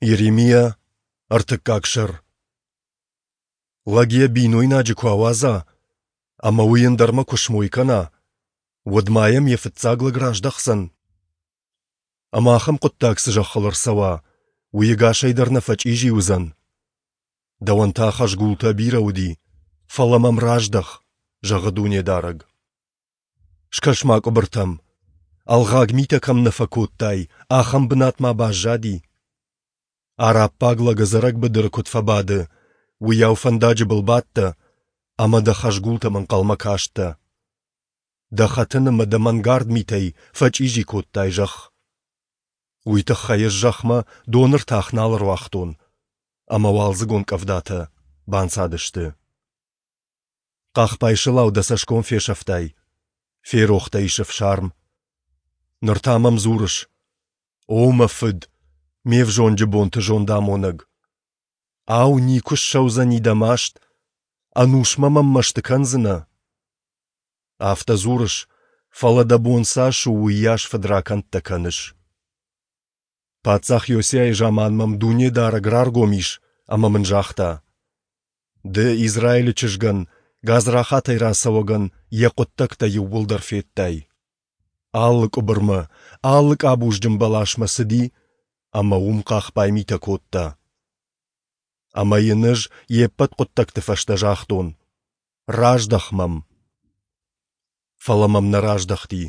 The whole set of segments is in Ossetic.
Йеремиа, ӕртыккаг сӕр. Лӕг йӕ бинойнаджы куы ауадза ӕмӕ уый ӕндӕрмӕ куы смой кӕна, уӕд ма йӕм йӕ фыццаг лӕг раздӕхдзӕн? Ӕмӕ ахӕм хъуыддаг цы зӕххыл ӕрцӕуа, уый ӕгасӕй дӕр нӕ фӕчъизи уыдзӕн? Дӕуӕн та хӕзгултӕ бирӕ уыди, фӕлӕ мӕм раздӕх, зӕгъы Дунедарӕг. Скӕс-ма къуыбыртӕм. Ӕлгъаг митӕ кӕм нӕ фӕкодтай, ахӕм бынат ма баззади? Араббаг лӕг ӕдзӕрӕг быдыры куыд фӕбады, уыйау фӕндаджы был бадтӕ ӕмӕ дӕ хӕзгултӕм ӕнхъӕлмӕ кастӕ. Дӕ хӕтын ӕмӕ дӕ мӕнгард митӕй фӕчъизи кодтай зӕхх. Уый тыххӕй ӕз зӕхмӕ доны ртах нал ӕруагътон, ӕмӕ уалдзыгон къӕвдатӕ банцадысты. Хъахбай сылау дӕ цӕсгом фесӕфтай, ферох дӕ ис ӕфсарм. Ныр та мӕм дзурыс: «О мӕ фыд, ме взонджы бонты зондамонӕг! Ау, никуы ссӕудзӕни дӕ маст, ӕнусмӕ мӕм мӕсты кӕндзынӕ?» Афтӕ дзурыс, фӕлӕ дӕ бон цас у, уыйас фыдракӕндтӕ кӕныс. Паддзах Иосиайы заман мӕм Дунедарӕг раргом ис ӕмӕ мын загъта: «Ды Израилы чызгӕн, гадзрахатӕй рацӕуӕгӕн, йӕ хъуыддӕгтӕ иууылдӕр федтай. Алы къуыбырмӕ, алы къабузджын бӕласмӕ цыди ӕмӕ уым хъахбай митӕ кодта. Ӕмӕ йын ӕз йе ппӕт хъуыддӕгты фӕстӕ загътон: Раздӕх мӕм. Фӕлӕ мӕм нӕ раздӕхти,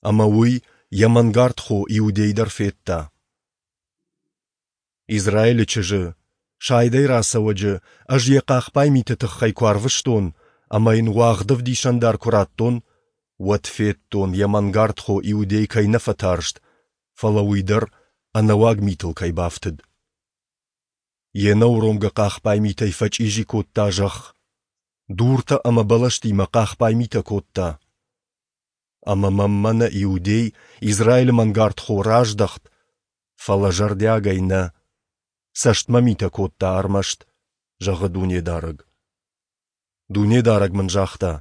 ӕмӕ уый йӕ мӕнгард хо Иудей дӕр федта. Израилы чызджы, сайдӕй рацӕуӕджы, ӕз йӕ хъахбай миты тыххӕй куы арвыстон ӕмӕ йын уагъд ӕвдисӕндар куы радтон, уӕд федтон, йӕ мӕнгард хо Иудей кӕй нӕ фӕтарст, фӕлӕ уый дӕр ӕнӕуаг митыл кӕй бафтыд. Йе нӕуромгӕ хъахбай митӕй фӕчъизи кодта зӕхх, дуртӕ ӕмӕ бӕлӕстимӕ хъахбай митӕ кодта. Ӕмӕ мӕм мӕнӕ Иудей, Израилы мӕнгард хо, раздӕхт, фӕлӕ зӕрдиагӕй нӕ, цӕстмӕ митӕ кодта ӕрмӕст, зӕгъы Дунедарӕг. Дунедарӕг мын загъта: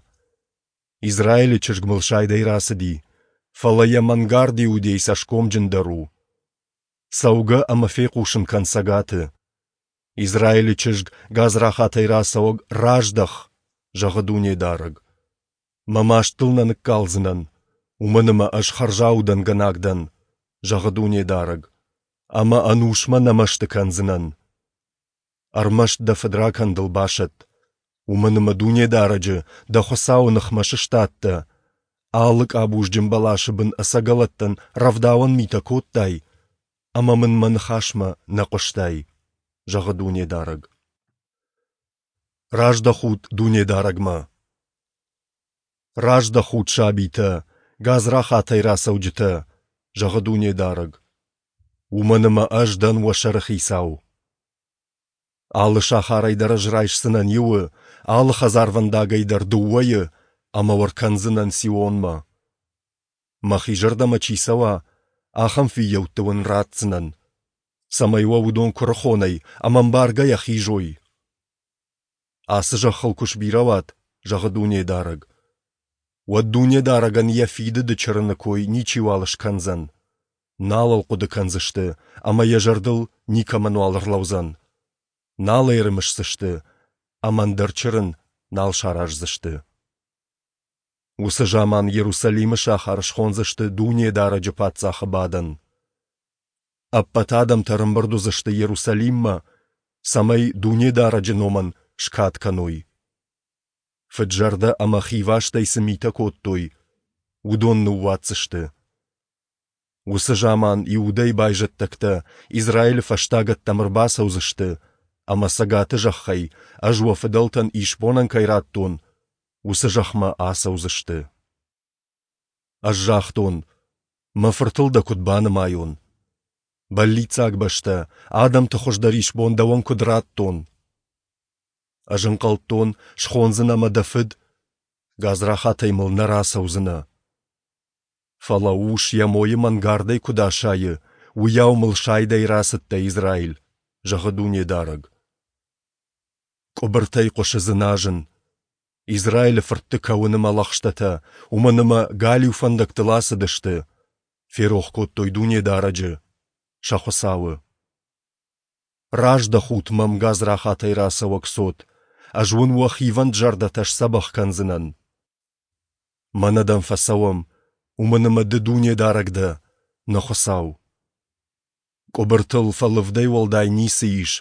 Израилы чызг мыл сайдӕй рацыди, фӕлӕ йӕ мӕнгард Иудей цӕсгомджындӕр у. Цӕугӕ ӕмӕ фехъусын кӕн цӕгаты. Израилы чызг, гадзрахатӕй рацӕуӕг, раздӕх, зӕгъы Дунедарӕг. Мӕ маст дыл нӕ ныккалдзынӕн, уымӕн ӕмӕ ӕз хӕрзаудӕнгӕнӕг дӕн, зӕгъы Дунедарӕг, ӕмӕ ӕнусмӕ нӕ мӕсты кӕндзынӕн. Ӕрмӕст дӕ фыдракӕндыл басӕтт, уымӕн ӕмӕ Дунедарӕджы, дӕ Хуыцауы ныхмӕ сыстадтӕ, алы къабузджын бӕласы бын ӕцӕгӕлӕттӕн рӕвдауӕн митӕ кодтай ӕмӕ мын мӕ ныхасмӕ нӕ хъуыстай, зӕгъы Дунедарӕг. Раздӕхут Дунедарӕгмӕ! Раздӕхут, сабитӕ, гадзрахатӕй рацӕуджытӕ, зӕгъы Дунедарӕг. Уымӕн ӕмӕ ӕз дӕн уӕ сӕрыхицау. Алы сахарӕй дӕр ӕз райсдзынӕн иуы, алы хӕдзарвӕндагӕй дӕр дыууӕйы ӕмӕ уӕ ркӕндзынӕн Сионмӕ. Мӕхи зӕрдӕмӕ чи цӕуа, ахӕм фыййӕутты уын ратдзынӕн, цӕмӕй уӕ уыдон куырыхонӕй ӕмӕ ӕмбаргӕйӕ хизой. Ацы зӕххыл куы сбирӕ уат, зӕгъы Дунедарӕг, уӕд Дунедарӕгӕн йӕ фидыды чырыны кой ничиуал скӕндзӕн, нал ыл хъуыды кӕндзысты ӕмӕ йӕ зӕрдыл никӕмӕнуал ӕрлӕудзӕн, нал ӕй ӕрымысдзысты ӕмӕ ӕндӕр чырын нал сараздзысты. Уыцы заман Иерусалимы сахар схондзысты Дунедарӕджы паддзахы бадӕн. Ӕппӕт адӕмтӕ ӕрӕмбырд уыдзысты Иерусалиммӕ, цӕмӕй Дунедарӕджы номӕн скад кӕной. Фыд-зӕрдӕ ӕмӕ хивастӕй цы митӕ кодтой, уыдон ныууадздзысты. Уыцы заман Иудӕйы байзӕддӕгтӕ Израилы фӕстагӕттӕм ӕрбацӕудзысты ӕмӕ цӕгаты зӕххӕй, ӕз уӕ фыдӕлтӕн исбонӕн кӕй радтон, уыцы зӕхмӕ ацӕудзысты. Ӕз загътон, мӕ фыртыл дӕ куыд банымайон? Бӕллиццаг бӕстӕ, адӕмты хуыздӕр исбон дӕуӕн куыд радтон? Ӕз ӕнхъӕлдтон, схондзынӕ мӕ дӕ фыд, гадзрахатӕй мыл нӕ рацӕудзынӕ. Фӕлӕ ус йӕ мойы мӕнгардӕй куыд асайы, уыйау мыл сайдӕй рацыдтӕ, Израиль, зӕгъы Дунедарӕг. Къуыбыртӕй хъуысы дзыназын, Израилы фыртты кӕуын ӕмӕ лӕгъстӕтӕ, уымӕн ӕмӕ галиу фӕндӕгтыл ацыдысты, ферох кодтой Дунедарӕджы, сӕ Хуыцауы. Раздӕхут мӕм, гадзрахатӕй рацӕуӕг цот, ӕз уын уӕ хивӕнд зӕрдӕтӕ сдзӕбӕх кӕндзынӕн. Мӕнӕ дӕм фӕцӕуӕм, уымӕн ӕмӕ Ды Дунедарӕг дӕ, нӕ Хуыцау. Къуыбыртыл фӕлывдӕй уӕлдай ницы ис,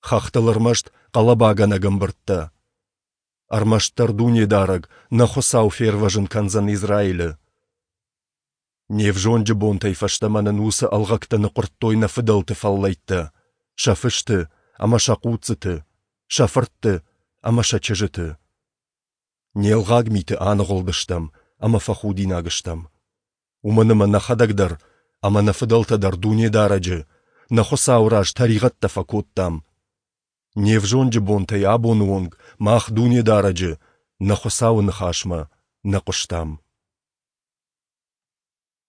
хӕхтыл ӕрмӕст хъӕлӕбагӕнӕг ӕмбырдтӕ. Ӕрмӕстдӕр Дунедарӕг, нӕ Хуыцау фервӕзын кӕндзӕн Израилы. Не взонджы бонтӕй фӕстӕмӕ нын уыцы ӕлгъӕгтӕ ныхъуырдтой нӕ фыдӕлты фӕллӕйттӕ, сӕ фысты ӕмӕ сӕ хъуццыты, сӕ фыртты ӕмӕ сӕ чызджыты. Не лгъаг миты аныгъуылдыстӕм ӕмӕ фӕхудинаг стӕм. Уымӕн ӕмӕ нӕхӕдӕг дӕр ӕмӕ нӕ фыдӕлтӕ дӕр Дунедарӕджы, нӕ Хуыцауы раз тӕригъӕдтӕ фӕкодтам. Не взонджы бонтӕй абоны онг мах Дунедарӕджы, нӕ Хуыцауы ныхасмӕ нӕ хъуыстам.